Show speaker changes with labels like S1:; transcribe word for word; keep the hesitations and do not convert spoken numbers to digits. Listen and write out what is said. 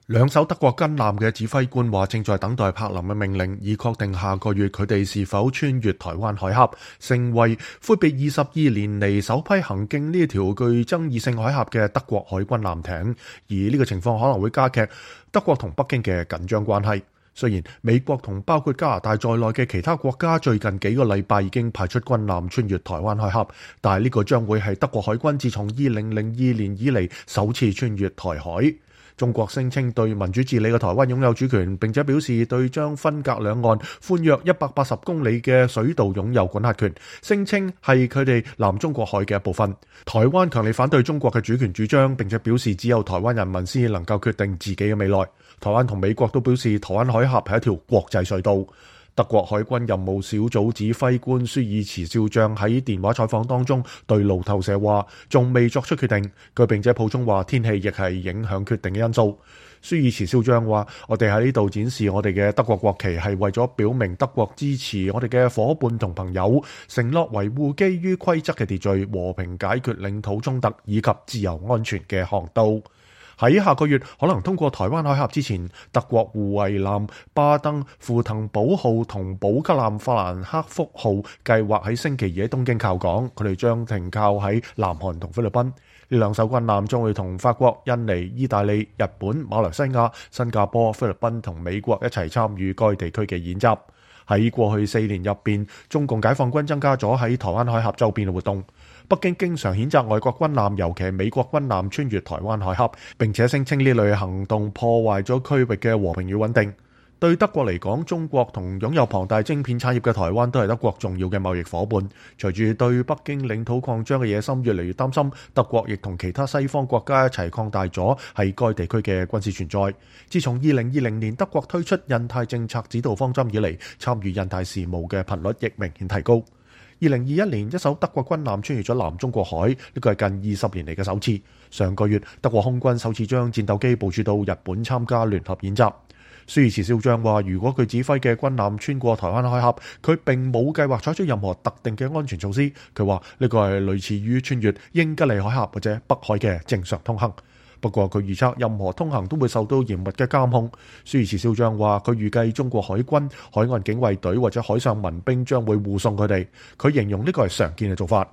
S1: 兩艘德國軍艦嘅指揮官話，正在等待柏林嘅命令，以確定下個月佢哋是否穿越台灣海峽，成為闊別二十二年嚟首批行經呢條具爭議性海峽嘅德國海軍艦艇。而呢個情況可能會加劇德國同北京嘅緊張關係。雖然美國同包括加拿大在內嘅其他國家最近幾個禮拜已經派出軍艦穿越台灣海峽，但係呢個將會係德國海軍自從二零零二年以嚟首次穿越台海。中國聲稱對民主治理嘅台灣擁有主權，並且表示對將分隔兩岸寬約一百八十公里嘅水道擁有管轄權，聲稱係佢哋南中國海嘅一部分。台灣強烈反對中國嘅主權主張，並且表示只有台灣人民先能夠決定自己嘅未來。台灣同美國都表示台灣海峽係一條國際隧道。德國海軍任務小組指揮官舒爾茨少將喺電話採訪當中對路透社話，仲未作出決定。佢並且補充話，天氣亦係影響決定嘅因素。舒爾茨少將話，我哋喺呢度展示我哋嘅德國國旗，係為咗表明德國支持我哋嘅夥伴同朋友，承諾維護基於規則嘅秩序、和平解決領土衝突以及自由安全嘅航道。喺下個月可能通過台灣海峽之前，德國護衛艦巴登符騰堡號同補給艦法蘭克福號計劃喺星期二喺東京靠港，佢哋將停靠喺南韓同菲律賓。呢兩艘軍艦將會同法國、印尼、意大利、日本、馬來西亞、新加坡、菲律賓同美國一齊參與該地區嘅演習。喺過去四年入邊，中共解放軍增加咗喺台灣海峽周邊嘅活動。北京經常譴責外國軍艦，尤其係美國軍艦穿越台灣海峽，並且聲稱呢類行動破壞咗區域嘅和平與穩定。對德國嚟講，中國同擁有龐大晶片產業嘅台灣都係德國重要嘅貿易夥伴。隨住對北京領土擴張嘅野心越嚟越擔心，德國亦同其他西方國家一齊擴大咗喺該地區嘅軍事存在。自從二零二零年德國推出印太政策指導方針以嚟，參與印太事務嘅頻率亦明顯提高。二零二一年，一艘德國軍艦穿越咗南中國海，呢個係近二十年嚟嘅首次。上個月，德國空軍首次將戰鬥機部署到日本參加聯合演習。舒爾茨少將話，如果佢指揮嘅軍艦穿過台灣海峽，佢並冇計劃採取任何特定嘅安全措施。佢話呢個係類似於穿越英吉利海峽或者北海嘅正常通行。不過佢預測任何通行都會受到嚴密嘅監控。舒爾茨少將話，佢預計中國海軍、海岸警衛隊或者海上民兵將會護送佢哋。佢形容呢個係常見嘅做法。